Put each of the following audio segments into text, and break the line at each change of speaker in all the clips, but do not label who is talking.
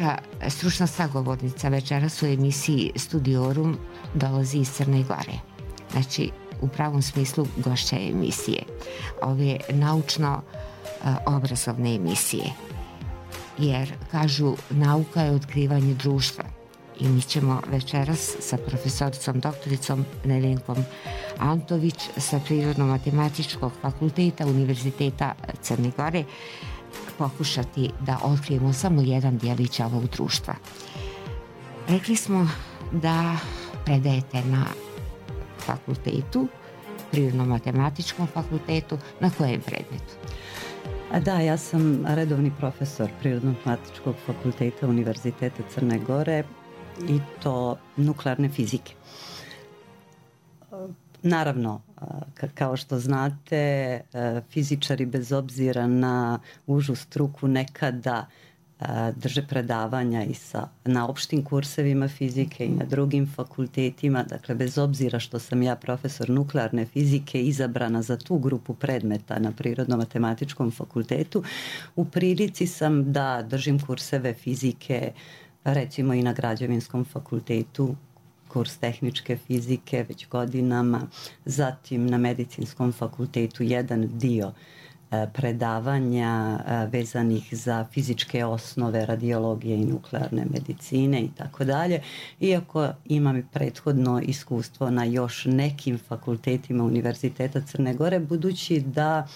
Naša stručna sagovornica večeras u emisiji Studiorum dolazi iz Crne Gore. Znači, u pravom smislu gošća emisije. Ove naučno-obrazovne emisije. Jer, kažu, nauka je otkrivanje društva. I mi ćemo večeras sa profesoricom doktoricom Nevenkom Antović sa Prirodno-matematičkog fakulteta Univerziteta Crne Gore pokušati da otkrijemo samo jedan djelić ovog društva. Rekli smo da predajete na fakultetu, Prirodno-matematičkom fakultetu, na kojem predmetu?
Da, ja sam redovni profesor Prirodno-matematičkog fakulteta Univerziteta Crne Gore i to nuklearne fizike. Naravno, kao što znate, fizičari bez obzira na užu struku nekada drže predavanja i na opštim kursevima fizike i na drugim fakultetima. Dakle, bez obzira što sam ja profesor nuklearne fizike izabrana za tu grupu predmeta na Prirodno-matematičkom fakultetu, u prilici sam da držim kurseve fizike recimo i na Građevinskom fakultetu, kurs tehničke fizike već godinama, zatim na Medicinskom fakultetu jedan dio predavanja vezanih za fizičke osnove radiologije i nuklearne medicine i tako dalje. Iako imam i prethodno iskustvo na još nekim fakultetima Univerziteta Crne Gore, budući da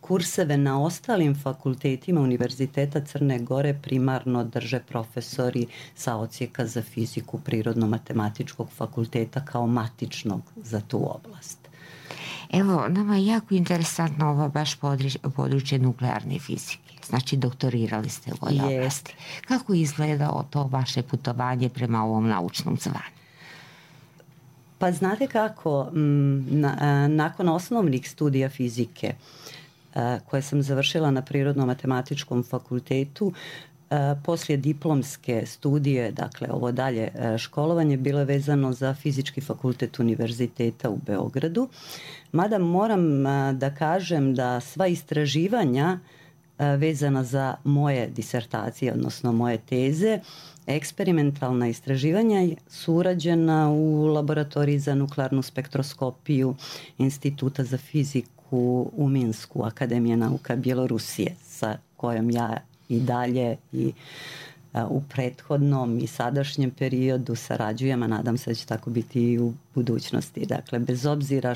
kurseve na ostalim fakultetima Univerziteta Crne Gore primarno drže profesori sa odsjeka za fiziku Prirodno-matematičkog fakulteta kao matičnog za tu oblast.
Evo, nama je jako interesantno ovo baš područje nuklearne fizike. Znači, doktorirali ste u ovoj oblasti. Kako izgleda to vaše putovanje prema ovom naučnom zvanju?
Pa znate kako, nakon osnovnih studija fizike koje sam završila na Prirodno-matematičkom fakultetu, poslije diplomske studije, dakle ovo dalje školovanje, bilo je vezano za Fizički fakultet Univerziteta u Beogradu. Mada moram da kažem da sva istraživanja vezana za moje disertacije, odnosno moje teze, eksperimentalna istraživanja su urađena u laboratoriji za nuklearnu spektroskopiju Instituta za fiziku u Minsku, Akademije nauka Bjelorusije, sa kojom ja i dalje i u prethodnom i sadašnjem periodu sarađujem, a nadam se da će tako biti i u budućnosti. Dakle, bez obzira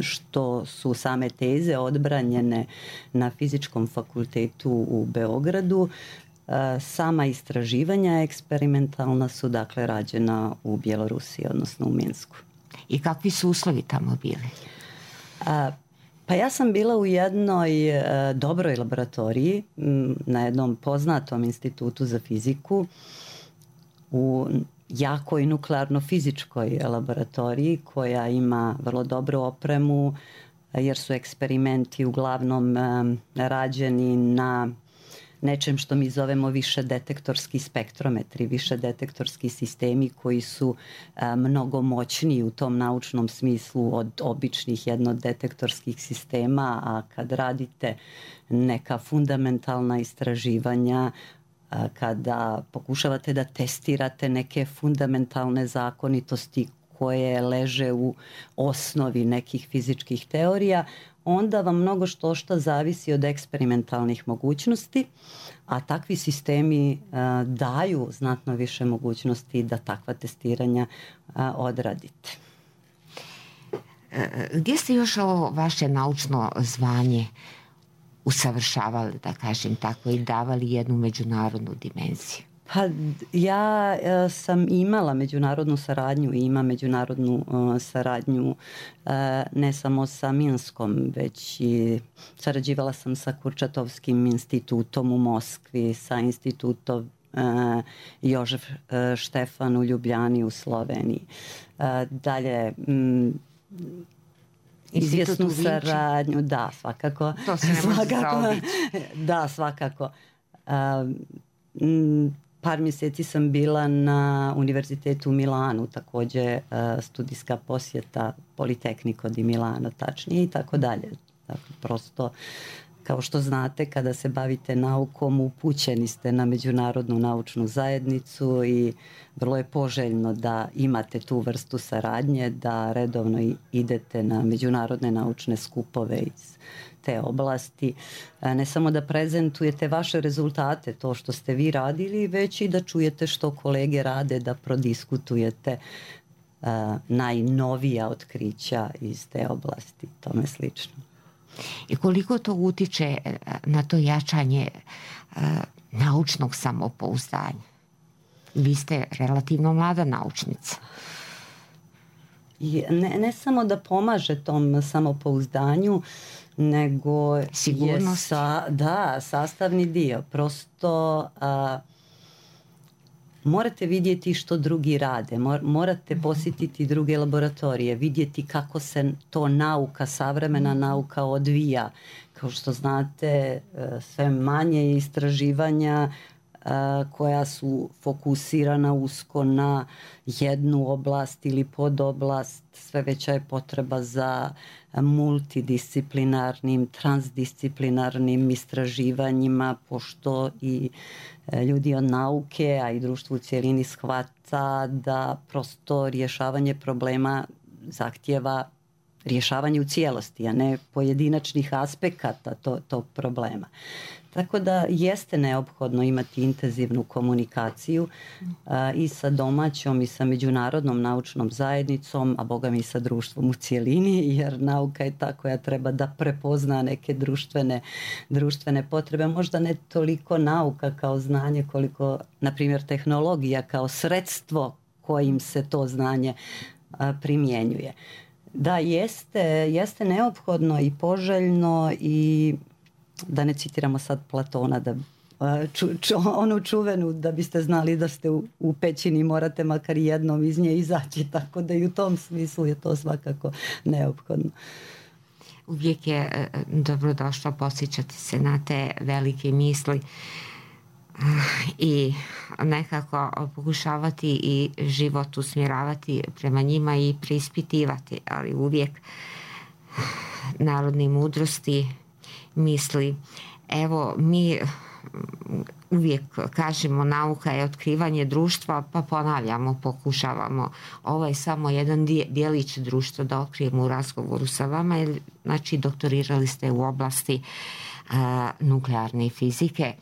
što su same teze odbranjene na Fizičkom fakultetu u Beogradu, sama istraživanja eksperimentalna su dakle rađena u Bjelorusiji, odnosno u Minsku.
I kakvi su uslovi tamo bili?
Pa ja sam bila u jednoj dobroj laboratoriji na jednom poznatom institutu za fiziku, u jakoj nuklearno-fizičkoj laboratoriji koja ima vrlo dobru opremu, jer su eksperimenti uglavnom rađeni na nečem što mi zovemo više detektorski spektrometri, više detektorski sistemi koji su mnogo moćniji u tom naučnom smislu od običnih jednodetektorskih sistema, a kad radite neka fundamentalna istraživanja, kada pokušavate da testirate neke fundamentalne zakonitosti koje leže u osnovi nekih fizičkih teorija, onda vam mnogo što zavisi od eksperimentalnih mogućnosti, a takvi sistemi daju znatno više mogućnosti da takva testiranja odradite.
Gdje ste još ovo vaše naučno zvanje usavršavali, da kažem tako, i davali jednu međunarodnu dimenziju?
Pa ja sam imala međunarodnu saradnju i imam međunarodnu saradnju ne samo sa Minskom, već i sarađivala sam sa Kurčatovskim institutom u Moskvi, sa institutom Jožef Štefan u Ljubljani u Sloveniji. Dalje, izvjesnu saradnju, da, svakako.
To se ne može zaobići.
Da, svakako. Par mjeseci sam bila na Univerzitetu u Milanu, također studijska posjeta Politecnico di Milano, tačnije i tako dalje. Dakle, prosto Kao što znate, kada se bavite naukom, upućeni ste na međunarodnu naučnu zajednicu i vrlo je poželjno da imate tu vrstu saradnje, da redovno idete na međunarodne naučne skupove iz te oblasti. Ne samo da prezentujete vaše rezultate, to što ste vi radili, već i da čujete što kolege rade, da prodiskutujete najnovija otkrića iz te oblasti, tome slično.
I koliko to utiče na to jačanje naučnog samopouzdanja? Vi ste relativno mlada naučnica.
Ne samo da pomaže tom samopouzdanju, nego
sigurnost.
Je sastavni dio. Prosto morate vidjeti što drugi rade, morate posjetiti druge laboratorije, vidjeti kako se to nauka, savremena nauka odvija. Kao što znate, sve manje istraživanja koja su fokusirana usko na jednu oblast ili podoblast, sve veća je potreba za multidisciplinarnim, transdisciplinarnim istraživanjima, pošto i ljudi od nauke, a i društvo u cijelini shvata da prosto rješavanje problema zahtjeva rješavanje u cijelosti, a ne pojedinačnih aspekata tog problema. Tako da jeste neophodno imati intenzivnu komunikaciju i sa domaćom i sa međunarodnom naučnom zajednicom, a boga mi i sa društvom u cijelini, jer nauka je ta koja treba da prepozna neke društvene potrebe. Možda ne toliko nauka kao znanje, koliko, na primjer, tehnologija kao sredstvo kojim se to znanje primjenjuje. Da, jeste neophodno i poželjno i da ne citiramo sad Platona, onu čuvenu da biste znali da ste u pećini morate makar jednom iz nje izaći, tako da i u tom smislu je to svakako neophodno.
Uvijek je dobrodošlo posjećati se na te velike misli i nekako pokušavati i život usmjeravati prema njima i preispitivati, ali uvijek narodne mudrosti misli. Evo, mi uvijek kažemo nauka je otkrivanje društva, pa ponavljamo, pokušavamo. Ovo je samo jedan dijelić društva da otkrijemo u razgovoru sa vama, jer znači doktorirali ste u oblasti nuklearne fizike.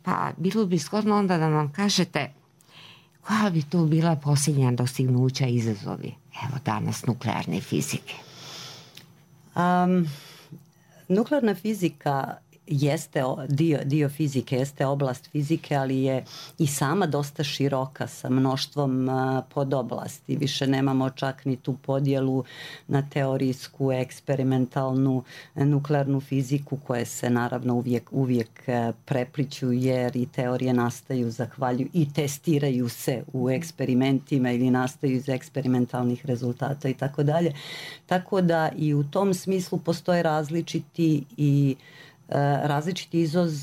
Pa bilo bi zgodno onda da nam kažete koja bi to bila posljednja dostignuća i izazovi, evo danas, nuklearne fizike?
Nuklearna fizika jeste dio fizike, jeste oblast fizike, ali je i sama dosta široka sa mnoštvom podoblasti. Više nemamo čak ni tu podjelu na teorijsku, eksperimentalnu, nuklearnu fiziku, koje se naravno uvijek prepliću, jer i teorije nastaju i testiraju se u eksperimentima ili nastaju iz eksperimentalnih rezultata i tako dalje. Tako da i u tom smislu postoje različiti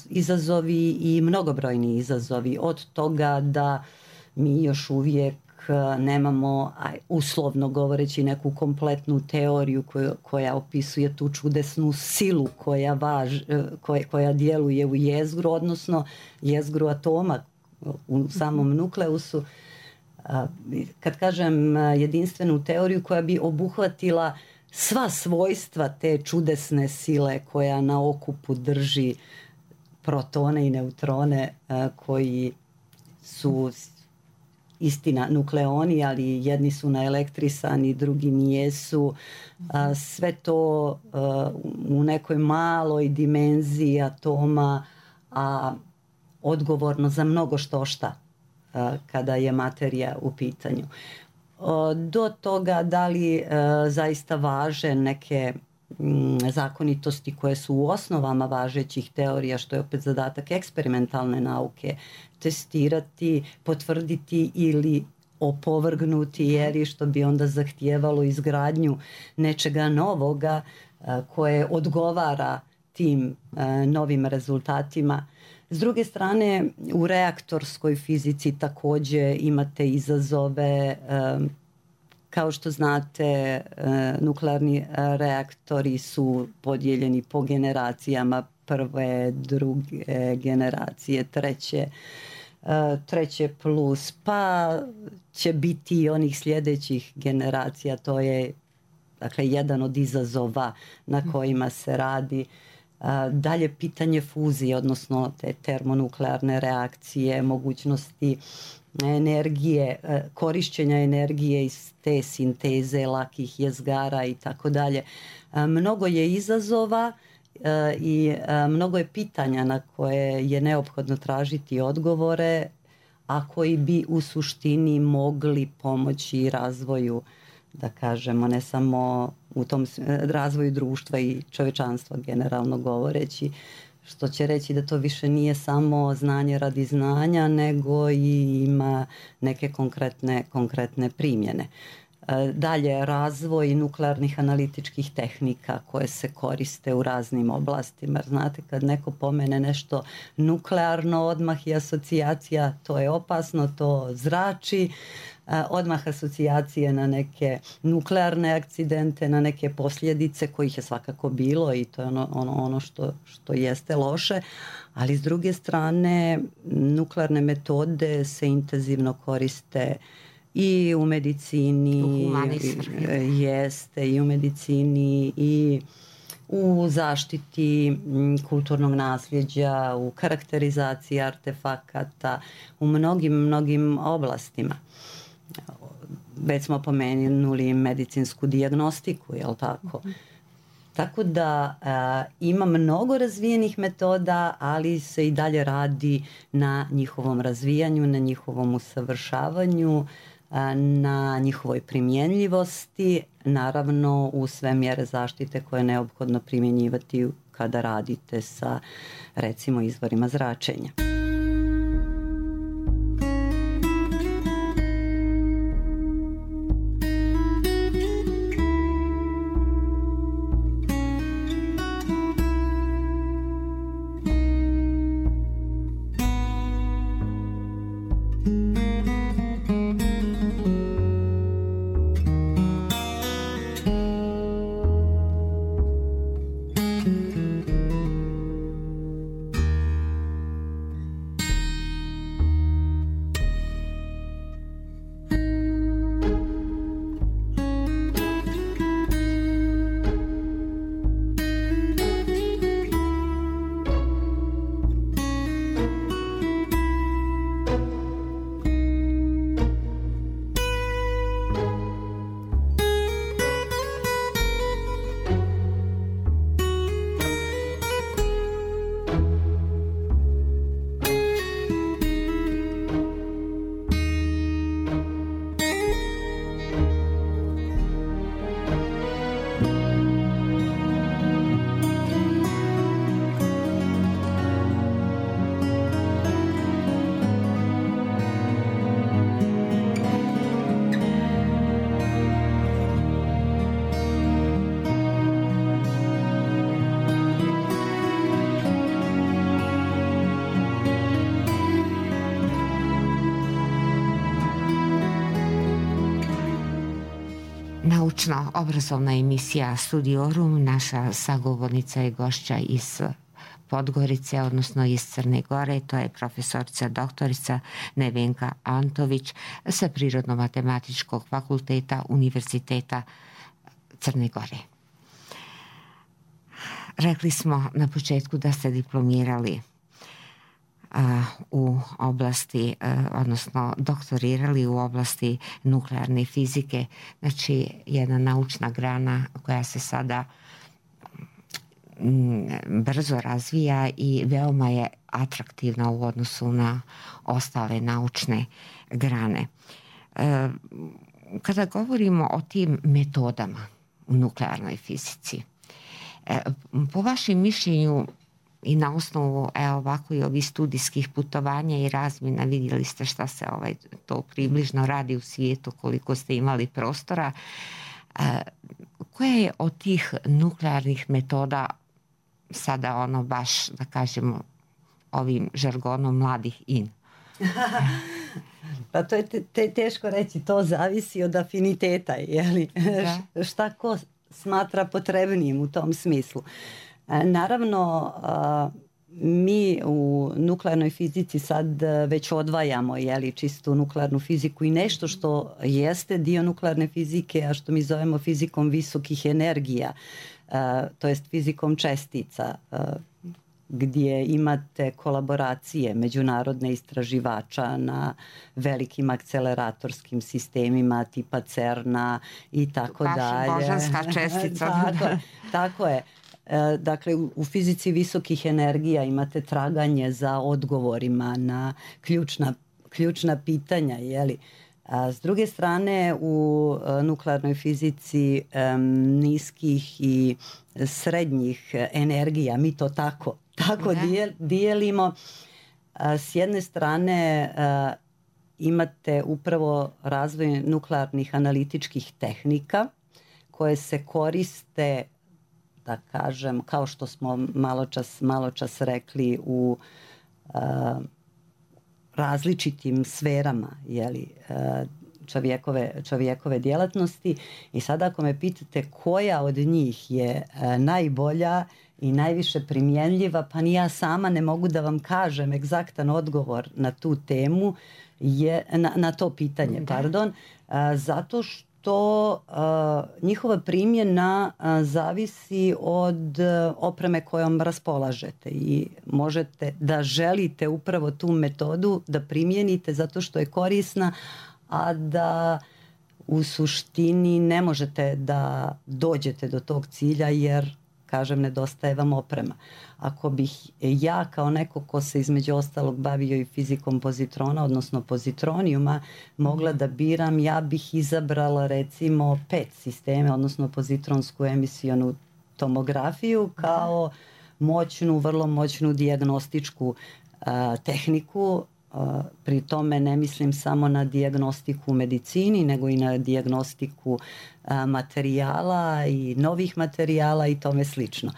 izazovi i mnogobrojni izazovi, od toga da mi još uvijek nemamo, uslovno govoreći, neku kompletnu teoriju koja opisuje tu čudesnu silu koja djeluje u jezgru, odnosno jezgru atoma u samom nukleusu. Kad kažem jedinstvenu teoriju koja bi obuhvatila sva svojstva te čudesne sile koja na okupu drži protone i neutrone, koji su istina nukleoni, ali jedni su naelektrisani, drugi nijesu. Sve to u nekoj maloj dimenziji atoma, a odgovorno za mnogo šta kada je materija u pitanju. Do toga da li zaista važe neke zakonitosti koje su u osnovama važećih teorija, što je opet zadatak eksperimentalne nauke, testirati, potvrditi ili opovrgnuti, jer što bi onda zahtijevalo izgradnju nečega novoga koje odgovara tim novim rezultatima. S druge strane, u reaktorskoj fizici također imate izazove. Kao što znate, nuklearni reaktori su podijeljeni po generacijama. prve, druge generacije, treće plus, pa će biti i onih sljedećih generacija. To je dakle jedan od izazova na kojima se radi. Dalje pitanje fuzije, odnosno te termonuklearne reakcije, mogućnosti energije, korišćenja energije iz te sinteze lakih jezgara i tako dalje. Mnogo je izazova i mnogo je pitanja na koje je neophodno tražiti odgovore, a koji bi u suštini mogli pomoći razvoju, da kažemo, ne samo u tom razvoju društva i čovječanstva generalno govoreći, što će reći da to više nije samo znanje radi znanja, nego i ima neke konkretne primjene. Dalje, razvoj nuklearnih analitičkih tehnika koje se koriste u raznim oblastima. Znate, kad neko pomene nešto nuklearno, odmah je asocijacija, to je opasno, to zrači, odmah asocijacije na neke nuklearne akcidente, na neke posljedice kojih je svakako bilo i to je ono što jeste loše, ali s druge strane nuklearne metode se intenzivno koriste i u medicini, jeste i u medicini i u zaštiti kulturnog nasljeđa, u karakterizaciji artefakata, u mnogim oblastima. Već smo pomenuli medicinsku dijagnostiku, jel tako? Tako da ima mnogo razvijenih metoda, ali se i dalje radi na njihovom razvijanju, na njihovom usavršavanju, na njihovoj primjenljivosti, naravno u sve mjere zaštite koje je neophodno primjenjivati kada radite sa, recimo, izvorima zračenja.
Naučno-obrazovna emisija Studiorum. Naša sagovornica je gošća iz Podgorice, odnosno iz Crne Gore. To je profesorica doktorica Nevenka Antović sa Prirodno-matematičkog fakulteta Univerziteta Crne Gore. Rekli smo na početku da ste diplomirali u oblasti, odnosno doktorirali u oblasti nuklearne fizike, znači jedna naučna grana koja se sada brzo razvija i veoma je atraktivna u odnosu na ostale naučne grane. Kada govorimo o tim metodama u nuklearnoj fizici, po vašem mišljenju i na osnovu ovako i ovih studijskih putovanja i razmjena, vidjeli ste šta se to približno radi u svijetu, koliko ste imali prostora, koja je od tih nuklearnih metoda sada baš, da kažemo, ovim žargonom mladih in?
Pa to je teško reći, to zavisi od afiniteta, jeli? Šta ko smatra potrebnijim u tom smislu. Naravno, mi u nuklearnoj fizici sad već odvajamo čistu nuklearnu fiziku i nešto što jeste dio nuklearne fizike, a što mi zovemo fizikom visokih energija, to jest fizikom čestica, gdje imate kolaboracije međunarodne istraživača na velikim akceleratorskim sistemima tipa CERN-a i tako dalje.
Božanska čestica.
Tako je. Dakle, u fizici visokih energija imate traganje za odgovorima na ključna pitanja, jeli? S druge strane, u nuklearnoj fizici niskih i srednjih energija, mi to tako dijelimo. S jedne strane imate upravo razvoj nuklearnih analitičkih tehnika koje se koriste, da kažem, kao što smo maločas rekli, u različitim sferama, čovjekove djelatnosti. I sada ako me pitate koja od njih je najbolja i najviše primjenljiva, pa ni ja sama ne mogu da vam kažem egzaktan odgovor na tu temu, na to pitanje, zato što njihova primjena zavisi od opreme kojom raspolažete i možete da želite upravo tu metodu da primijenite zato što je korisna, a da u suštini ne možete da dođete do tog cilja jer, kažem, nedostaje vam oprema. Ako bih ja kao neko ko se između ostalog bavio i fizikom pozitrona, odnosno pozitronijuma, mogla da biram, ja bih izabrala recimo PET sisteme, odnosno pozitronsku emisionu tomografiju kao vrlo moćnu dijagnostičku tehniku. Pri tome ne mislim samo na dijagnostiku u medicini, nego i na dijagnostiku materijala i novih materijala i tome slično.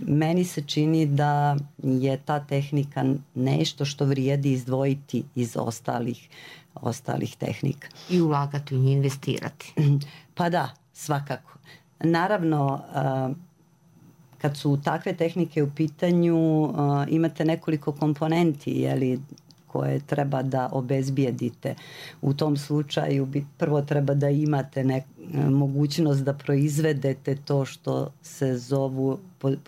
Meni se čini da je ta tehnika nešto što vrijedi izdvojiti iz ostalih tehnika.
I ulagati u nju, investirati.
Pa da, svakako. Naravno, kad su takve tehnike u pitanju, imate nekoliko komponenti, koje treba da obezbijedite. U tom slučaju prvo treba da imate mogućnost da proizvedete to što se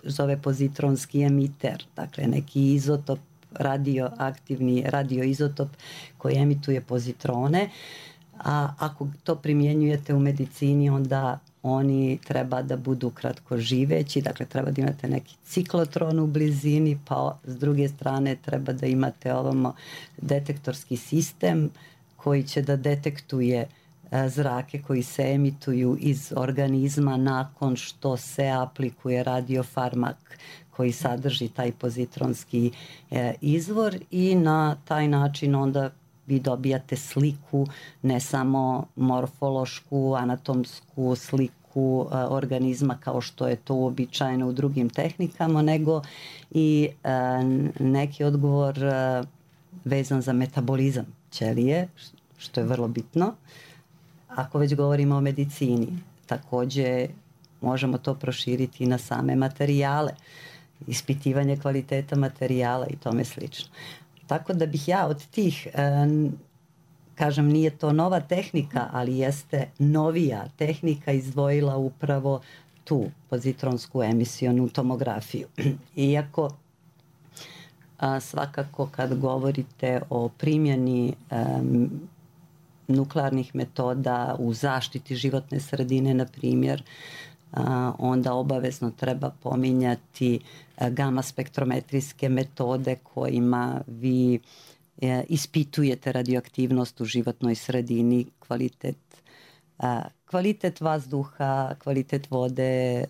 zove pozitronski emiter, dakle neki izotop, radioaktivni radioizotop koji emituje pozitrone, a ako to primjenjujete u medicini, onda oni treba da budu kratkoživeći, dakle treba da imate neki ciklotron u blizini, pa s druge strane treba da imate detektorski sistem koji će da detektuje zrake koji se emituju iz organizma nakon što se aplikuje radiofarmak koji sadrži taj pozitronski izvor i na taj način onda vi dobijate sliku, ne samo morfološku, anatomsku sliku organizma kao što je to uobičajeno u drugim tehnikama, nego i neki odgovor vezan za metabolizam ćelije, što je vrlo bitno. Ako već govorimo o medicini, također možemo to proširiti na same materijale, ispitivanje kvaliteta materijala i tome slično. Tako da bih ja od tih, kažem, nije to nova tehnika, ali jeste novija tehnika, izdvojila upravo tu pozitronsku emisionu tomografiju. Iako svakako kad govorite o primjeni nuklearnih metoda u zaštiti životne sredine, na primjer, onda obavezno treba pominjati gama spektrometrijske metode kojima vi ispitujete radioaktivnost u životnoj sredini, kvalitet vazduha, kvalitet vode,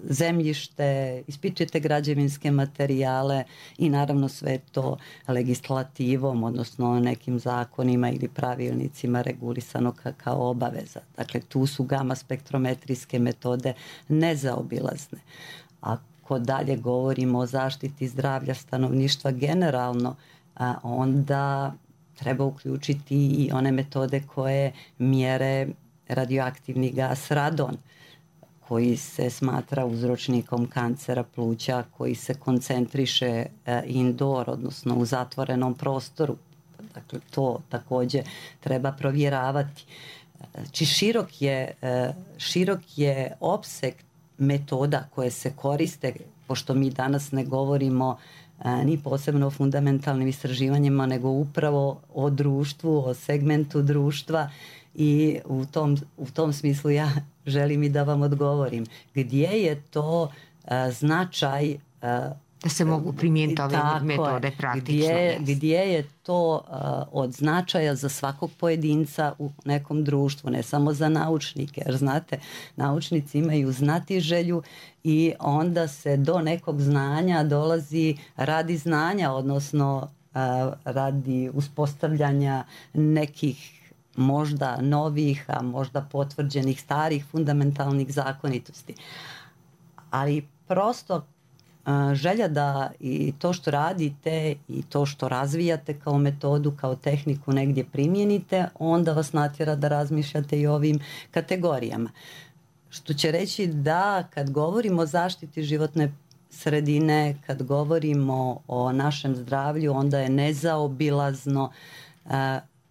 zemljište, ispitujete građevinske materijale i naravno sve to legislativom, odnosno nekim zakonima ili pravilnicima regulisano kao obaveza. Dakle, tu su gama spektrometrijske metode nezaobilazne. Ako dalje govorimo o zaštiti zdravlja stanovništva generalno, onda treba uključiti i one metode koje mjere radioaktivni gas radon, koji se smatra uzročnikom kancera pluća, koji se koncentriše indoor, odnosno u zatvorenom prostoru. Dakle, to takođe treba provjeravati. Znači, širok je opseg metoda koje se koriste, pošto mi danas ne govorimo ni posebno o fundamentalnim istraživanjima, nego upravo o društvu, o segmentu društva, i u tom smislu ja želim i da vam odgovorim. Gdje je to značaj
da se mogu primijeniti ove metode praktično?
Gdje je to od značaja za svakog pojedinca u nekom društvu, ne samo za naučnike, jer znate, naučnici imaju znatiželju i onda se do nekog znanja dolazi radi znanja, odnosno radi uspostavljanja nekih možda novih, a možda potvrđenih starih fundamentalnih zakonitosti. Ali prosto želja da i to što radite i to što razvijate kao metodu, kao tehniku negdje primijenite, onda vas natjera da razmišljate i o ovim kategorijama. Što će reći da kad govorimo o zaštiti životne sredine, kad govorimo o našem zdravlju, onda je nezaobilazno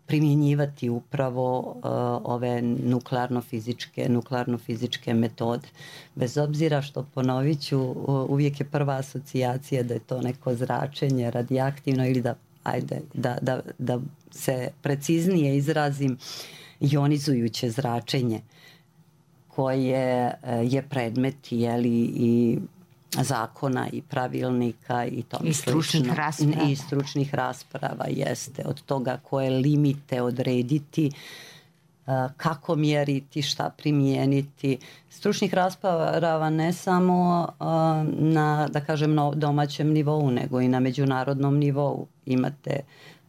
primjenjivati upravo ove nuklearno-fizičke metode. Bez obzira što, ponovit ću, uvijek je prva asocijacija da je to neko zračenje radioaktivno ili da se preciznije izrazim, jonizujuće zračenje koje je predmet i zakona i pravilnika i tome
i stručnih rasprava.
I stručnih rasprava, jeste, od toga koje limite odrediti, kako mjeriti, šta primijeniti. Stručnih rasprava ne samo na, da kažem, na domaćem nivou, nego i na međunarodnom nivou. Imate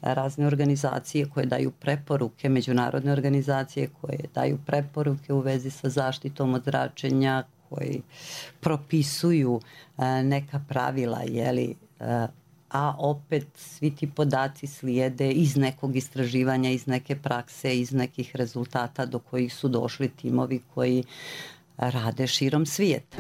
razne organizacije koje daju preporuke, međunarodne organizacije koje daju preporuke u vezi sa zaštitom od zračenja, koji propisuju neka pravila, a opet svi ti podaci slijede iz nekog istraživanja, iz neke prakse, iz nekih rezultata do kojih su došli timovi koji rade širom svijeta.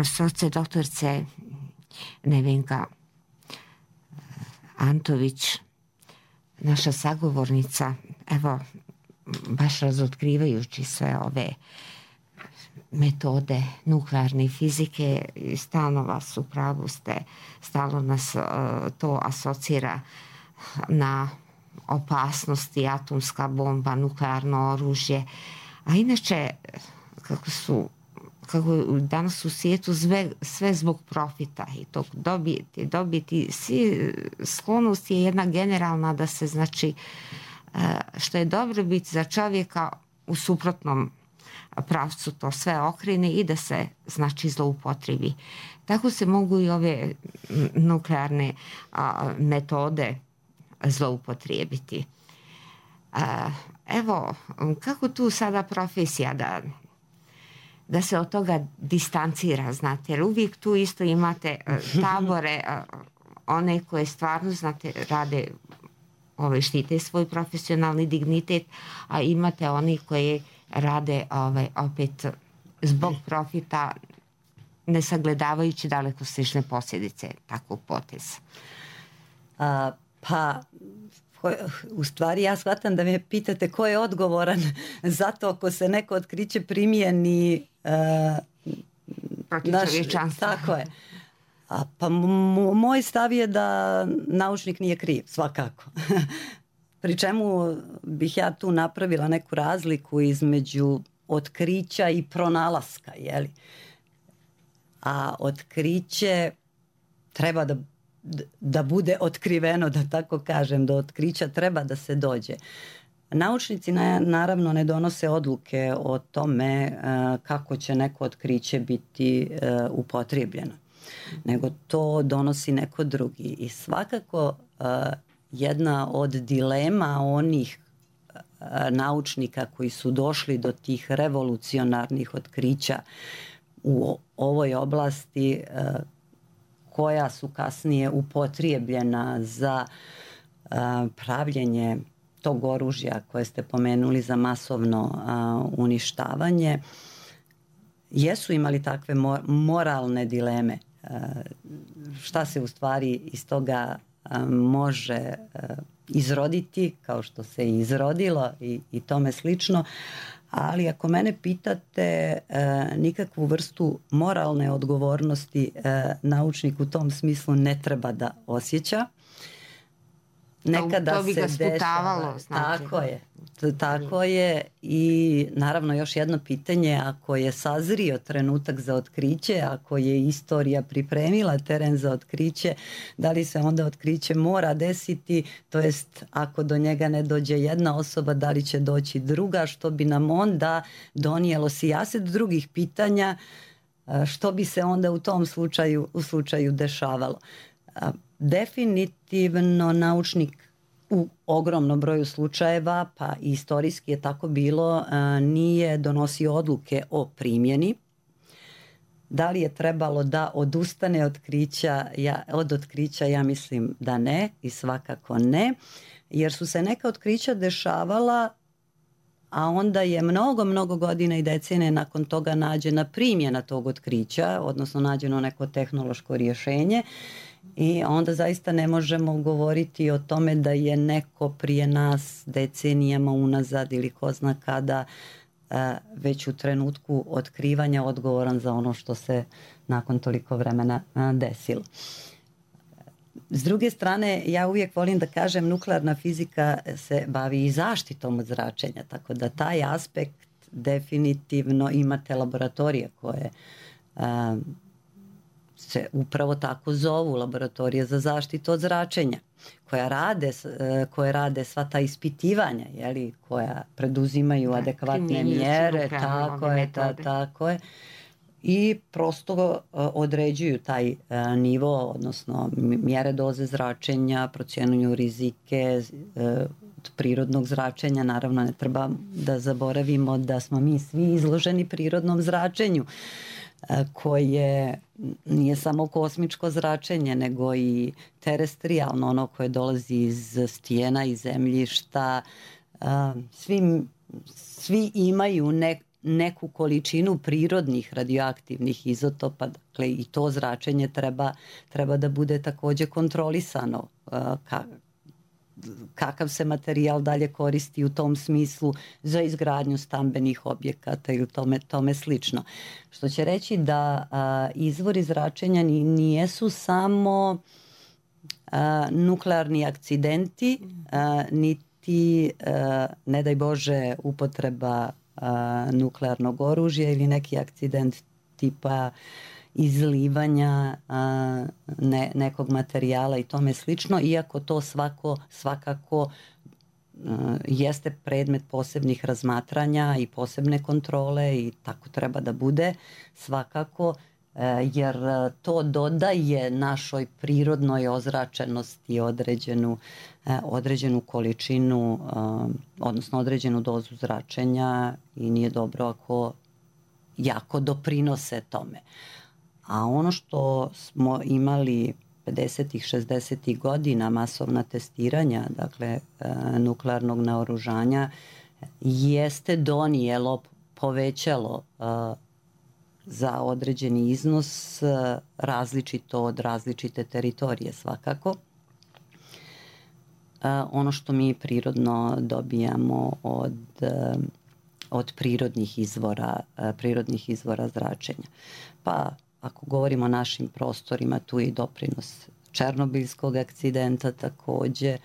profesorce doktorce Nevenka Antović, naša sagovornica, evo, baš razotkrivajući sve ove metode nuklearne fizike, stalno vas u pravu ste, stalno nas to asocira na opasnosti, atomska bomba, nuklearno oružje. A inače, kako je danas u svijetu sve zbog profita i tog dobiti, sklonost je jedna generalna da se, znači, što je dobro biti za čovjeka, u suprotnom pravcu to sve okrene i da se, znači, zloupotrebi. Tako se mogu i ove nuklearne metode zloupotrijebiti. Evo, kako tu sada profesija da se od toga distancira, znate, jer uvijek tu isto imate tabore, one koje stvarno, znate, rade, štite svoj profesionalni dignitet, a imate oni koji rade opet zbog profita, ne sagledavajući dalekosežne posljedice takvog poteza.
Pa, u stvari ja shvatam da me pitate ko je odgovoran za to ako se neko otkriće primjeni
protiv čovječanstva.
Tako je. Pa moj stav je da naučnik nije kriv, svakako. Pri čemu bih ja tu napravila neku razliku između otkrića i pronalaska, jeli? A otkriće treba da bude otkriveno, da tako kažem, do otkrića treba da se dođe. Naučnici naravno ne donose odluke o tome kako će neko otkriće biti upotrijebljeno, nego to donosi neko drugi. I svakako jedna od dilema onih naučnika koji su došli do tih revolucionarnih otkrića u ovoj oblasti, koja su kasnije upotrijebljena za pravljenje tog oružja koje ste pomenuli za masovno uništavanje, jesu imali takve moralne dileme. Šta se u stvari iz toga može izroditi, kao što se i izrodilo i tome slično. Ali ako mene pitate, nikakvu vrstu moralne odgovornosti naučnik u tom smislu ne treba da osjeća.
Nekada to bi ga sputavalo.
Tako je. I naravno još jedno pitanje, ako je sazrio trenutak za otkriće, ako je istorija pripremila teren za otkriće, da li se onda otkriće mora desiti, to jest ako do njega ne dođe jedna osoba, da li će doći druga, što bi nam onda donijelo sijaset drugih pitanja, što bi se onda u tom slučaju dešavalo. Definitivno naučnik u ogromnom broju slučajeva, pa i istorijski je tako bilo, nije donosio odluke o primjeni. Da li je trebalo da odustane od otkrića? Ja mislim da ne i svakako ne, jer su se neka otkrića dešavala, a onda je mnogo godina i decenije nakon toga nađena primjena tog otkrića, odnosno nađeno neko tehnološko rješenje. I onda zaista ne možemo govoriti o tome da je neko prije nas decenijama unazad ili ko zna kada već u trenutku otkrivanja odgovoran za ono što se nakon toliko vremena desilo. S druge strane, ja uvijek volim da kažem, nuklearna fizika se bavi i zaštitom od zračenja, tako da taj aspekt definitivno imate laboratorije koje se upravo tako zovu, laboratorije za zaštitu od zračenja, koje rade sva ta ispitivanja, jeli, koja preduzimaju adekvatne mjere, tako je, i prosto određuju taj nivo, odnosno mjere doze zračenja, procjenjuju rizike od prirodnog zračenja. Naravno, ne treba da zaboravimo da smo mi svi izloženi prirodnom zračenju, koje nije samo kosmičko zračenje, nego i terestrijalno, ono koje dolazi iz stijena i zemljišta. Svi imaju neku količinu prirodnih radioaktivnih izotopa, dakle i to zračenje treba da bude takođe kontrolisano, kakav se materijal dalje koristi u tom smislu za izgradnju stambenih objekata ili tome slično. Što će reći da izvori zračenja nijesu samo nuklearni akcidenti, niti, ne daj Bože, upotreba nuklearnog oružja ili neki akcident tipa izlivanja nekog materijala i tome slično, iako to svakako jeste predmet posebnih razmatranja i posebne kontrole i tako treba da bude svakako, jer to dodaje našoj prirodnoj ozračenosti određenu količinu, odnosno određenu dozu zračenja i nije dobro ako jako doprinose tome. A ono što smo imali 50-ih, 60-ih godina, masovna testiranja, dakle nuklearnog naoružanja, jeste donijelo, povećalo za određeni iznos različito od različite teritorije svakako. Ono što mi prirodno dobijamo od prirodnih izvora zračenja. Pa ako govorimo o našim prostorima, tu je i doprinos Černobilskog akcidenta takođe.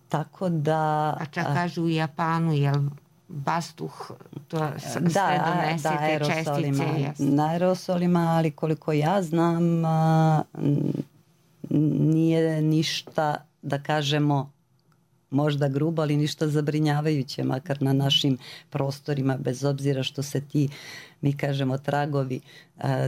Tako da...
A čak kažu u Japanu, jel vazduh to sve donese te čestice?
Na aerosolima, ali koliko ja znam, nije ništa, da kažemo, možda grubo, ali ništa zabrinjavajuće, makar na našim prostorima, bez obzira što se ti, mi kažemo, tragovi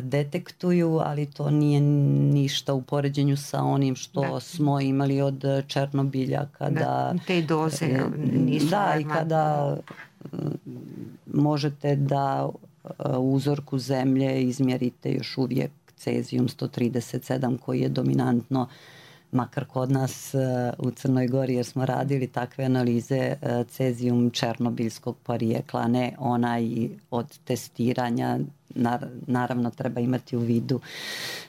detektuju, ali to nije ništa u poređenju sa onim što smo imali od Černobilja, kada...
te doze nisu...
Da, i kada možete da u uzorku zemlje izmjerite još uvijek cezijum 137 koji je dominantno, makar kod nas u Crnoj Gori, jer smo radili takve analize, cezijum černobilskog porijekla, ne onaj od testiranja. Naravno treba imati u vidu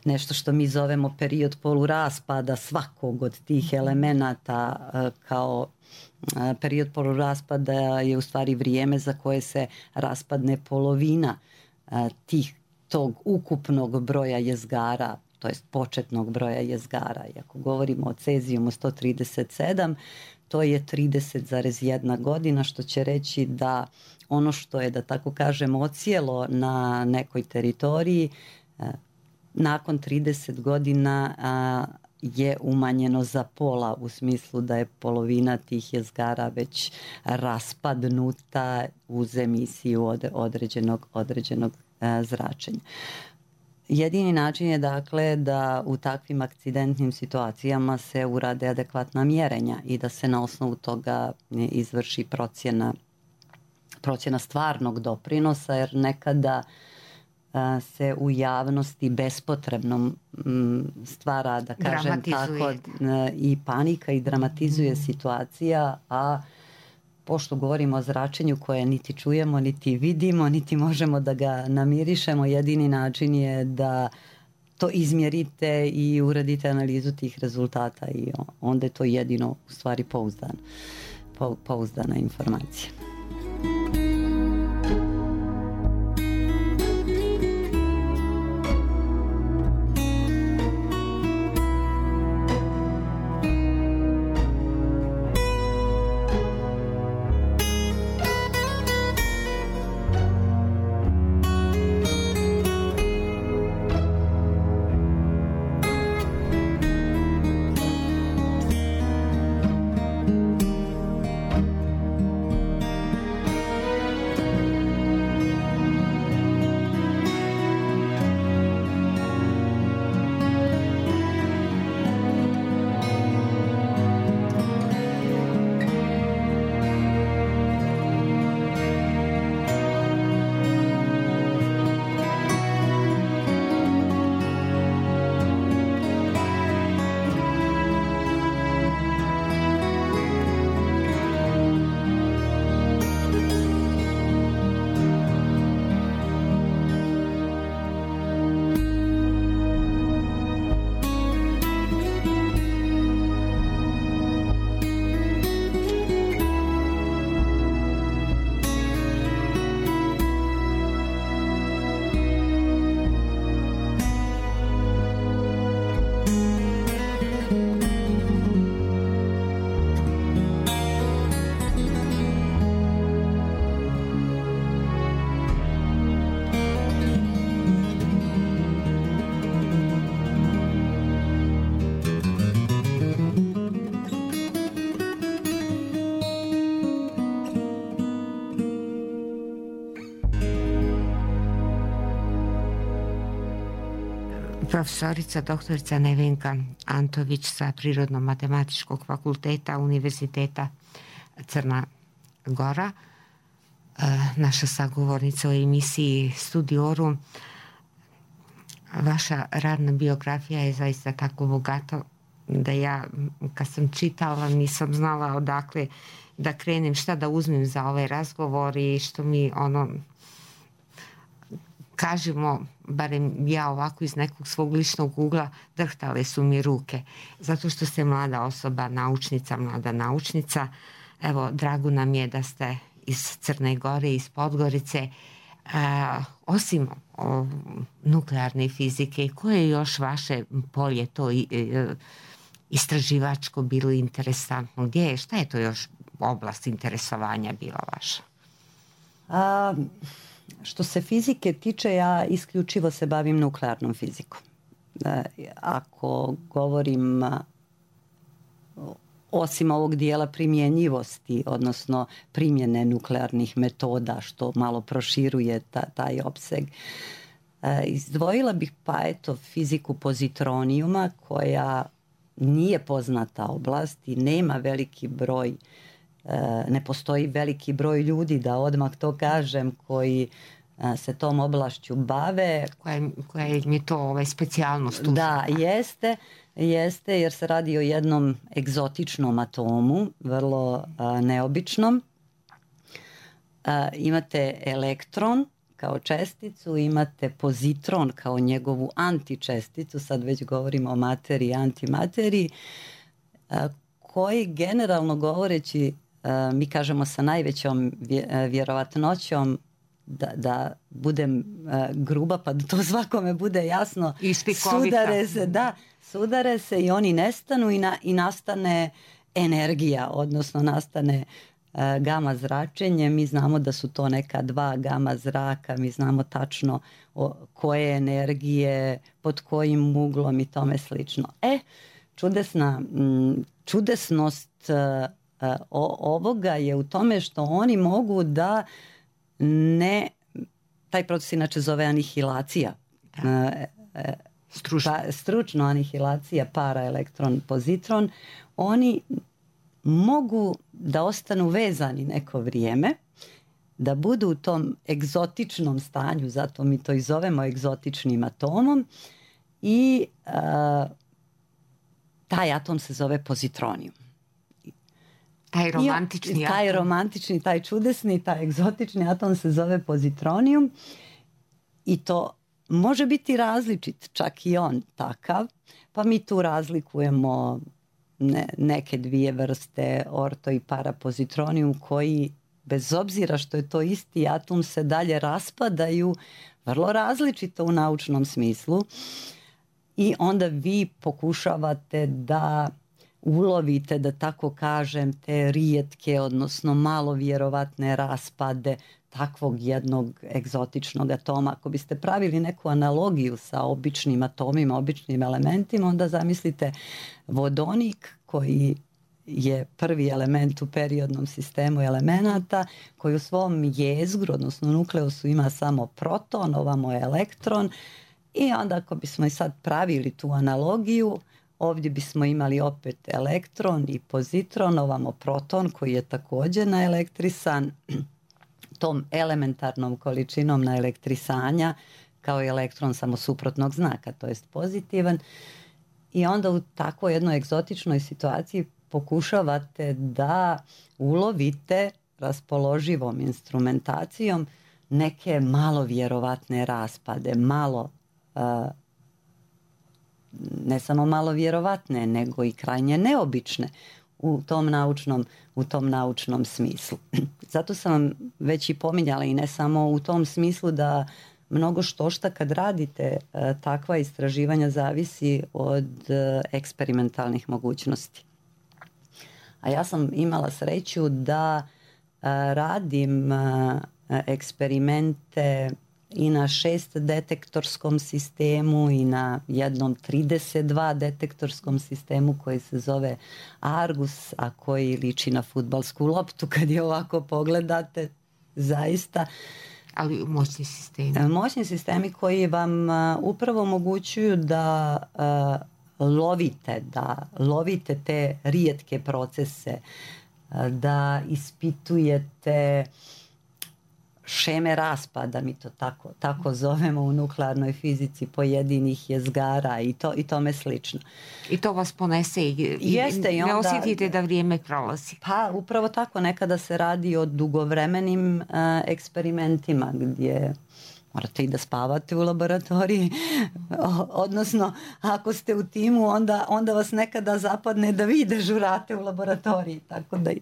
nešto što mi zovemo period poluraspada svakog od tih elemenata. Kao period poluraspada je u stvari vrijeme za koje se raspadne polovina tog ukupnog broja jezgara, to jest početnog broja jezgara. I ako govorimo o cezijumu 137, to je 30,1 godina, što će reći da ono što je, da tako kažem, ocijelo na nekoj teritoriji, nakon 30 godina je umanjeno za pola, u smislu da je polovina tih jezgara već raspadnuta uz emisiju određenog zračenja. Jedini način je, dakle, da u takvim akcidentnim situacijama se urade adekvatna mjerenja i da se na osnovu toga izvrši procjena stvarnog doprinosa, jer nekada se u javnosti bespotrebno stvara, da kažem tako, i panika i dramatizuje situacija, a pošto govorimo o zračenju koje niti čujemo, niti vidimo, niti možemo da ga namirišemo, jedini način je da to izmjerite i uradite analizu tih rezultata i onda je to jedino u stvari pouzdana informacija.
Profesorica doktorica Nevenka Antović sa Prirodno-matematičkog fakulteta Univerziteta Crna Gora, naša sagovornica u emisiji Studiorum. Vaša radna biografija je zaista tako bogata da ja kad sam čitala nisam znala odakle da krenem, šta da uzmem za ovaj razgovor i što mi kažemo, barem ja ovako iz nekog svog ličnog ugla, drhtale su mi ruke. Zato što ste mlada osoba, mlada naučnica. Evo, drago nam je da ste iz Crne Gore, iz Podgorice. Osim nuklearne fizike, koje je još vaše polje to istraživačko bilo interesantno? Šta je to još oblast interesovanja bila vaša?
Što se fizike tiče, ja isključivo se bavim nuklearnom fizikom. Ako govorim osim ovog dijela primjenjivosti, odnosno primjene nuklearnih metoda, što malo proširuje taj opseg, izdvojila bih fiziku pozitronijuma, koja nije poznata oblast i nema veliki broj, ne postoji veliki broj ljudi, da odmah to kažem, koji se tom oblašću bave.
Koja je to specijalnost?
Da, jeste, jer se radi o jednom egzotičnom atomu, vrlo neobičnom. Imate elektron kao česticu, imate pozitron kao njegovu antičesticu, sad već govorimo o materiji i antimateriji, koji generalno govoreći, mi kažemo sa najvećom vjerovatnoćom, da budem gruba pa da to svakome bude jasno, sudare se i oni nestanu i nastane energija, odnosno nastane gama zračenje. Mi znamo da su to neka 2 gama zraka, mi znamo tačno koje energije, pod kojim uglom i tome slično. Čudesnost ovoga je u tome što oni mogu da taj proces inače zove anihilacija. Stručno anihilacija para elektron pozitron. Oni mogu da ostanu vezani neko vrijeme, da budu u tom egzotičnom stanju, zato mi to i zovemo egzotičnim atomom, i taj atom se zove pozitronijum. Taj romantični, taj čudesni, taj egzotični atom se zove pozitronijum i to može biti različit, čak i on takav, pa mi tu razlikujemo neke 2 vrste, orto i parapozitronijum, koji bez obzira što je to isti atom se dalje raspadaju vrlo različito u naučnom smislu i onda vi pokušavate da ulovite, da tako kažem, te rijetke, odnosno malo vjerovatne raspade takvog jednog egzotičnog atoma. Ako biste pravili neku analogiju sa običnim atomima, običnim elementima, onda zamislite vodonik koji je prvi element u periodnom sistemu elemenata, koji u svom jezgru, odnosno nukleusu, ima samo proton, ovamo je elektron, i onda ako bismo i sad pravili tu analogiju, ovdje bismo imali opet elektron i pozitron, ovamo proton koji je također naelektrisan tom elementarnom količinom naelektrisanja, kao i elektron samo suprotnog znaka, to jest pozitivan. I onda u takvoj jednoj egzotičnoj situaciji pokušavate da ulovite raspoloživom instrumentacijom neke malo vjerovatne raspade, malo ne samo malo vjerovatne, nego i krajnje neobične u tom naučnom smislu. Zato sam vam već i pominjala, i ne samo u tom smislu, da mnogo štošta kad radite takva istraživanja zavisi od eksperimentalnih mogućnosti. A ja sam imala sreću da radim eksperimente i na 6 detektorskom sistemu i na jednom 32 detektorskom sistemu koji se zove Argus, a koji liči na fudbalsku loptu kad je ovako pogledate, zaista.
Ali moćni sistemi.
Moćni sistemi koji vam upravo omogućuju da lovite te rijetke procese, da ispitujete šeme raspada, mi to tako zovemo u nuklearnoj fizici, pojedinih jezgara i tome slično.
I to vas ponese i ne osjetite da vrijeme prolazi.
Pa upravo tako, nekada se radi o dugovremenim eksperimentima gdje morate i da spavate u laboratoriji, odnosno ako ste u timu onda vas nekada zapadne da vi dežurate u laboratoriji, tako da i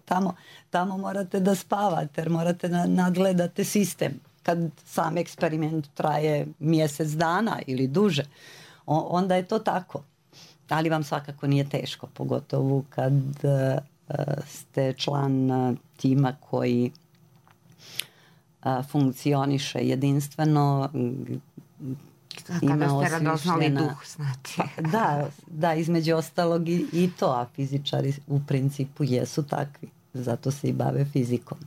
tamo morate da spavate jer morate nadgledate sistem. Kad sam eksperiment traje mjesec dana ili duže, onda je to tako. Ali vam svakako nije teško, pogotovo kad ste član tima koji funkcioniše jedinstveno.
Kada ste radoznali duh, znači.
Da, između ostalog i to, a fizičari u principu jesu takvi. Zato se i bave fizikom,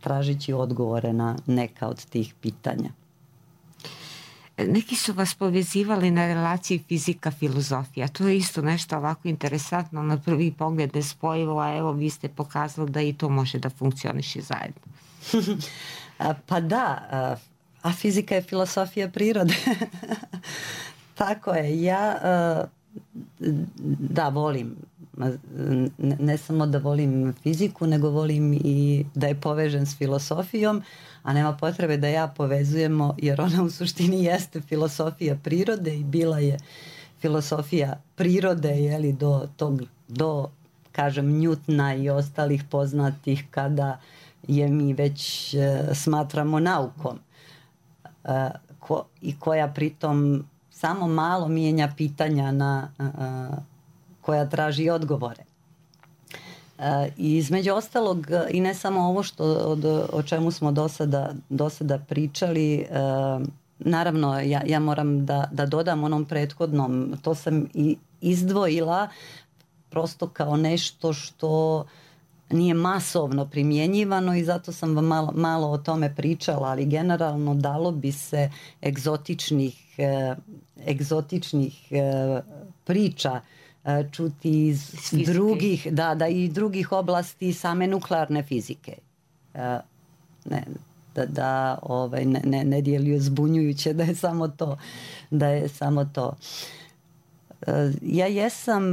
tražići odgovore na neka od tih pitanja.
Neki su vas povezivali na relaciji fizika-filozofija. To je isto nešto ovako interesantno, na prvi pogled nespojivo, a evo vi ste pokazali da i to može da funkcioniše zajedno.
Pa da, a fizika je filosofija prirode. Tako je, ja volim, ne samo da volim fiziku, nego volim i da je povežem s filosofijom, a nema potrebe da ja povezujemo, jer ona u suštini jeste filosofija prirode i bila je filosofija prirode, jeli, do kažem Newtona i ostalih poznatih kada je mi već smatramo naukom i koja pritom samo malo mijenja pitanja koja traži odgovore. I između ostalog, i ne samo ovo o čemu smo do sada pričali, naravno ja moram da dodam onom prethodnom, to sam i izdvojila prosto kao nešto što nije masovno primjenjivano i zato sam vam malo o tome pričala, ali generalno dalo bi se egzotičnih priča čuti iz drugih, i drugih oblasti same nuklearne fizike. Ne djeluje zbunjujuće da je samo to. Ja jesam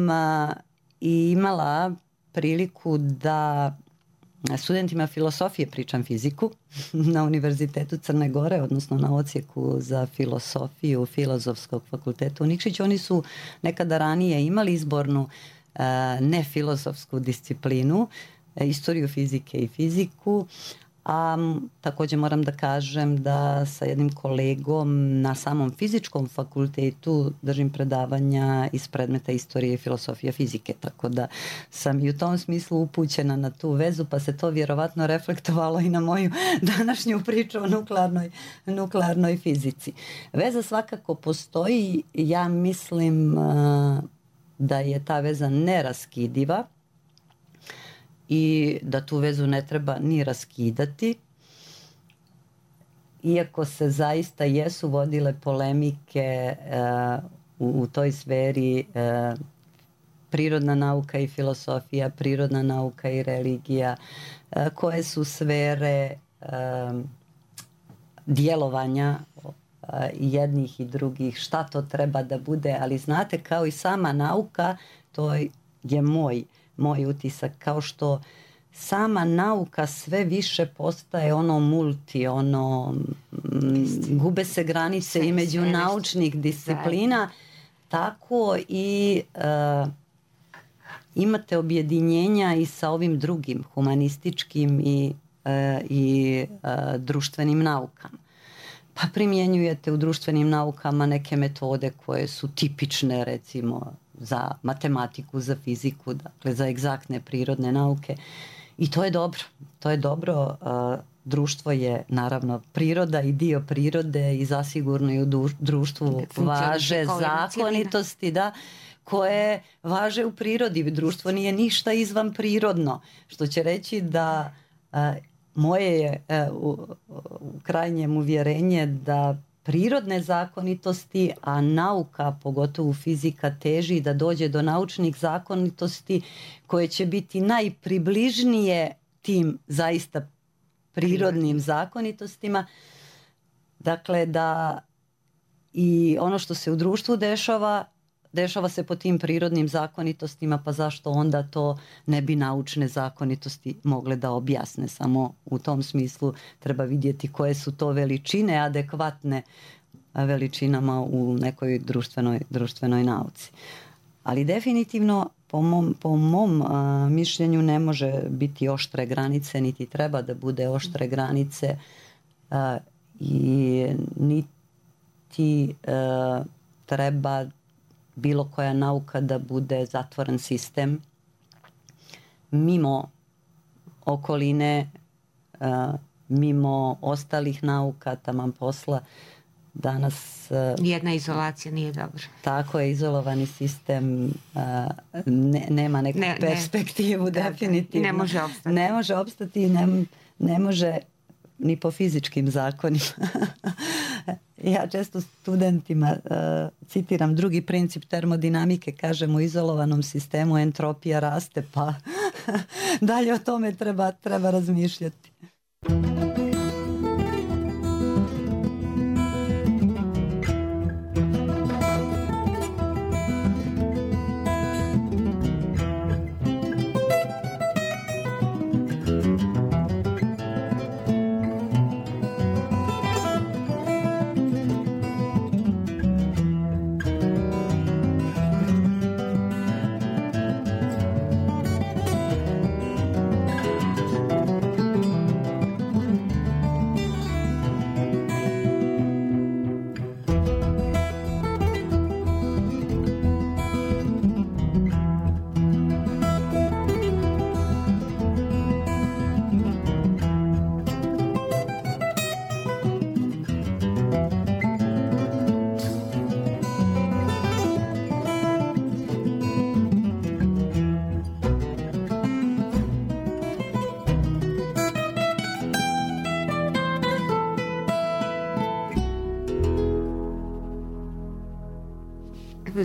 i imala priliku da studentima filosofije pričam fiziku na Univerzitetu Crne Gore, odnosno na odsjeku za filosofiju Filozofskog fakulteta u Nikšiću. Oni su nekada ranije imali izbornu nefilozofsku disciplinu, istoriju fizike i fiziku, a također moram da kažem da sa jednim kolegom na samom fizičkom fakultetu držim predavanja iz predmeta istorije i filosofije fizike, tako da sam i u tom smislu upućena na tu vezu, pa se to vjerovatno reflektovalo i na moju današnju priču o nuklearnoj fizici. Veza svakako postoji, ja mislim da je ta veza neraskidiva i da tu vezu ne treba ni raskidati, iako se zaista jesu vodile polemike u toj sferi prirodna nauka i filosofija, prirodna nauka i religija, koje su sfere djelovanja jednih i drugih, šta to treba da bude, ali znate, kao i sama nauka, to je moj utisak, kao što sama nauka sve više postaje gube se granice između naučnih disciplina, tako i imate objedinjenja i sa ovim drugim humanističkim i društvenim naukama. Pa primjenjujete u društvenim naukama neke metode koje su tipične, recimo za matematiku, za fiziku, dakle za egzaktne prirodne nauke, i to je dobro. Društvo je naravno priroda i dio prirode i zasigurno i u društvu važe zakonitosti koje važe u prirodi. Društvo nije ništa izvan prirodno, što će reći da moje je u krajnjem uvjerenje da prirodne zakonitosti, a nauka, pogotovo fizika, teži da dođe do naučnih zakonitosti koje će biti najpribližnije tim zaista prirodnim zakonitostima. Dakle, da i ono što se u društvu dešava se po tim prirodnim zakonitostima, pa zašto onda to ne bi naučne zakonitosti mogle da objasne? Samo u tom smislu treba vidjeti koje su to veličine adekvatne veličinama u nekoj društvenoj nauci. Ali definitivno po mom mišljenju ne može biti oštre granice, niti treba da bude oštre granice i niti treba bilo koja nauka da bude zatvoren sistem mimo okoline, mimo ostalih nauka, taman posla. Danas
jedna izolacija nije dobra.
Tako je, izolovani sistem nema neku perspektivu, definitivno.
Ne može opstati.
I ne može ni po fizičkim zakonima. Ja često studentima citiram drugi princip termodinamike, kažem u izolovanom sistemu entropija raste, pa dalje o tome treba razmišljati.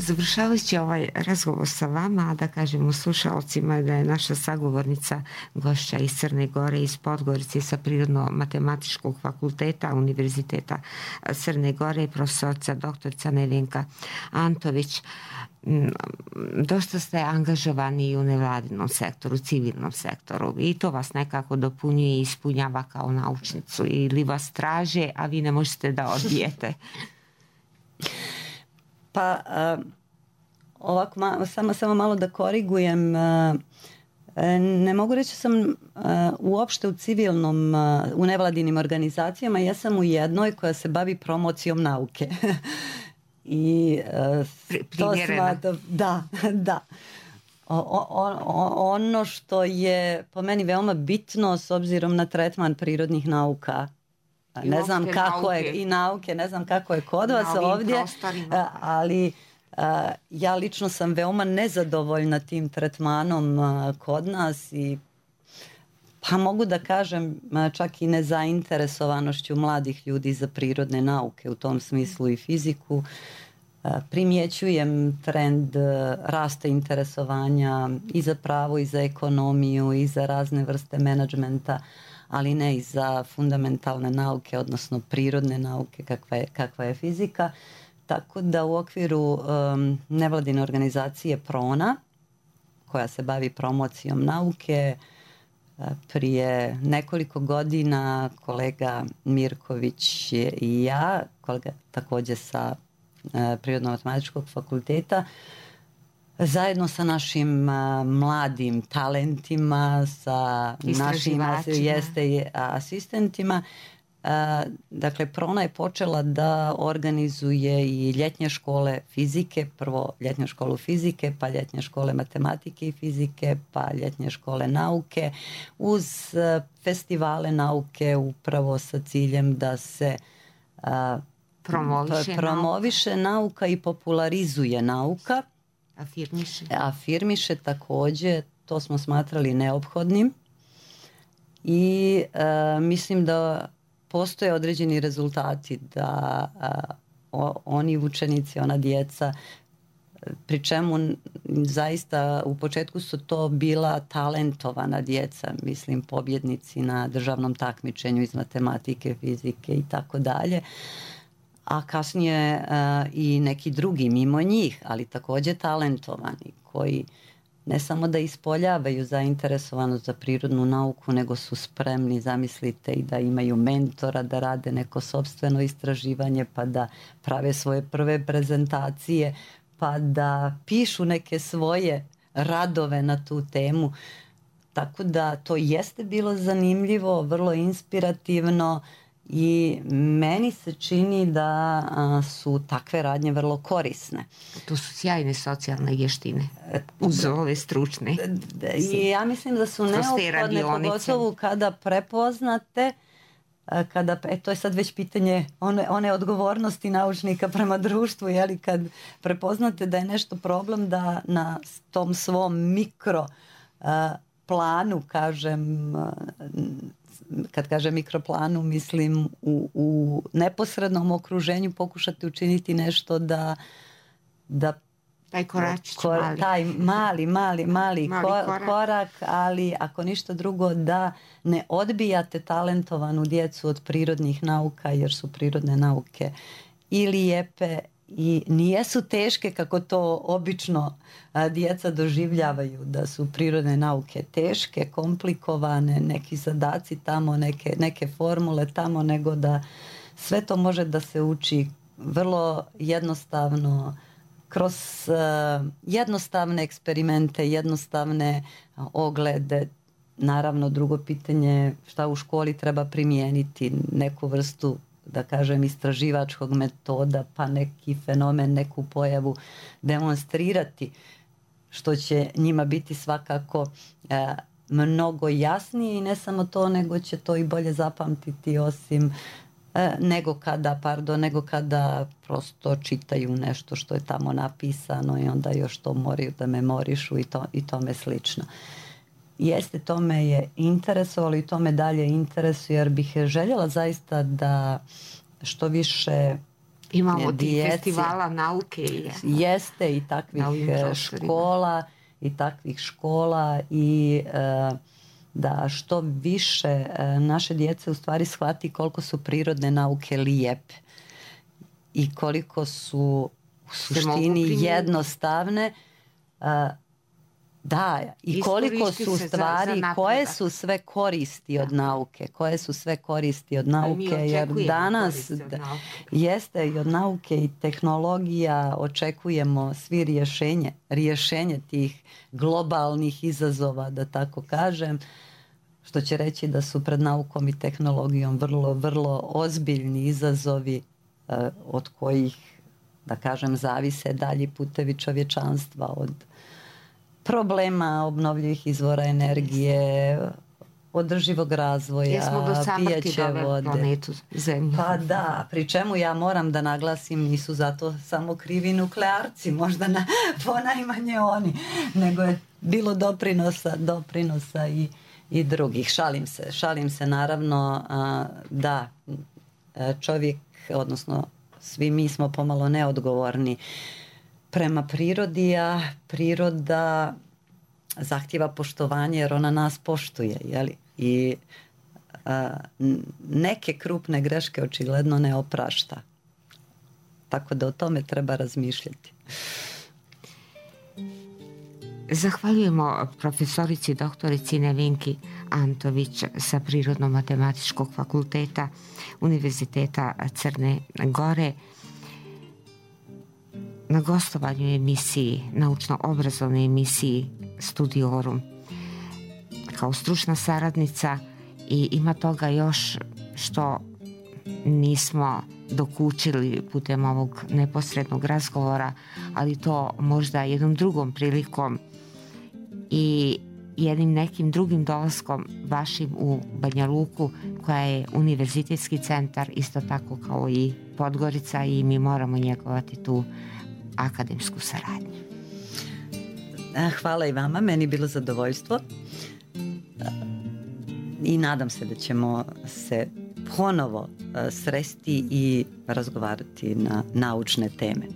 Završavajući ovaj razgovor sa vama, da kažemo slušalcima da je naša sagovornica gošća iz Crne Gore, iz Podgorice, sa Prirodno-matematičkog fakulteta Univerziteta Crne Gore, profesorica doktorica Nevenka Antović. Dosta ste angažovani i u nevladinom sektoru, civilnom sektoru, i to vas nekako dopunjuje i ispunjava kao naučnicu, ili vas traže, a vi ne možete da odbijete?
Pa ovako, samo malo da korigujem. Ne mogu reći sam uopšte u nevladinim organizacijama. Ja sam u jednoj koja se bavi promocijom nauke. I da. Ono što je po meni veoma bitno s obzirom na tretman prirodnih nauka, ne znam kako je i nauke, ne znam kako je kod vas ovdje, ali ja lično sam veoma nezadovoljna tim tretmanom kod nas i pa mogu da kažem čak i nezainteresovanošću mladih ljudi za prirodne nauke, u tom smislu i fiziku. Primjećujem trend rasta interesovanja i za pravo i za ekonomiju i za razne vrste menadžmenta, ali ne i za fundamentalne nauke, odnosno prirodne nauke kakva je fizika. Tako da u okviru nevladine organizacije PRONA, koja se bavi promocijom nauke, prije nekoliko godina kolega Mirković i ja, kolega također sa Prirodno-matematičkog fakulteta, zajedno sa našim mladim talentima, sa našim asistentima. Dakle, PRONA je počela da organizuje i ljetnje škole fizike, prvo ljetnju školu fizike, pa ljetnje škole matematike i fizike, pa ljetnje škole nauke, uz festivale nauke upravo sa ciljem da se promoviše nauka i popularizuje nauka.
Afirmiše
također, to smo smatrali neophodnim i mislim da postoje određeni rezultati, da oni učenici, ona djeca, pri čemu zaista u početku su to bila talentovana djeca, mislim pobjednici na državnom takmičenju iz matematike, fizike i tako dalje, a kasnije i neki drugi mimo njih, ali također talentovani, koji ne samo da ispoljavaju zainteresovanost za prirodnu nauku, nego su spremni, zamislite, i da imaju mentora, da rade neko sopstveno istraživanje, pa da prave svoje prve prezentacije, pa da pišu neke svoje radove na tu temu. Tako da to jeste bilo zanimljivo, vrlo inspirativno i meni se čini da su takve radnje vrlo korisne.
To su sjajne socijalne vještine uz ove stručne.
I ja mislim da su neophodne, pogotovo kada prepoznate, to je sad već pitanje one odgovornosti naučnika prema društvu, jeli, kad prepoznate da je nešto problem, da na tom svom mikro planu, kažem, kad kažem mikroplanu, mislim u neposrednom okruženju pokušati učiniti nešto da
taj koračić
taj mali korak, ali ako ništa drugo da ne odbijate talentovanu djecu od prirodnih nauka, jer su prirodne nauke i lijepe i nijesu teške kako to obično djeca doživljavaju, da su prirodne nauke teške, komplikovane, neki zadaci tamo, neke formule tamo, nego da sve to može da se uči vrlo jednostavno, kroz jednostavne eksperimente, jednostavne oglede. Naravno, drugo pitanje, šta u školi treba primijeniti, neku vrstu, da kažem, istraživačkog metoda, pa neki fenomen, neku pojavu demonstrirati, što će njima biti svakako mnogo jasnije, i ne samo to, nego će to i bolje zapamtiti, osim nego kada prosto čitaju nešto što je tamo napisano i onda još to moraju da memorišu i tome slično. Jeste, to me je interesovalo i to me dalje interesuje, jer bih željela zaista da što više
imamo tih festivala nauke.
Jeste, i takvih škola i da što više naše djece u stvari shvati koliko su prirodne nauke lijepe i koliko su u suštini jednostavne, da, i koliko su stvari, koje su sve koristi od nauke, jer danas jeste i od nauke i tehnologija očekujemo svi rješenje tih globalnih izazova, da tako kažem, što će reći da su pred naukom i tehnologijom vrlo, vrlo ozbiljni izazovi od kojih, da kažem, zavise dalji putevi čovječanstva, od problema obnovljivih izvora energije, održivog razvoja, pijeće vode.
Planetu Zemlju.
Pa da, pri čemu ja moram da naglasim, nisu zato samo krivi nuklearci, možda ponajmanje oni, nego je bilo doprinosa i drugih. Šalim se naravno, da čovjek, odnosno svi mi smo pomalo neodgovorni prema prirodi, a priroda zahtjeva poštovanje jer ona nas poštuje, jeli? I neke krupne greške očigledno ne oprašta. Tako da o tome treba razmišljati.
Zahvaljujemo profesorici doktorici Nevenki Antović sa Prirodno-matematičkog fakulteta Univerziteta Crne Gore na gostovanju emisiji, naučno-obrazovnoj emisiji Studiorum kao stručna saradnica, i ima toga još što nismo dokučili putem ovog neposrednog razgovora, ali to možda jednom drugom prilikom i jednim nekim drugim dolaskom vašim u Banja Luku, koja je univerzitetski centar isto tako kao i Podgorica, i mi moramo njegovati tu akademsku saradnju.
Hvala i vama, meni je bilo zadovoljstvo. i nadam se da ćemo se ponovo sresti i razgovarati na naučne teme.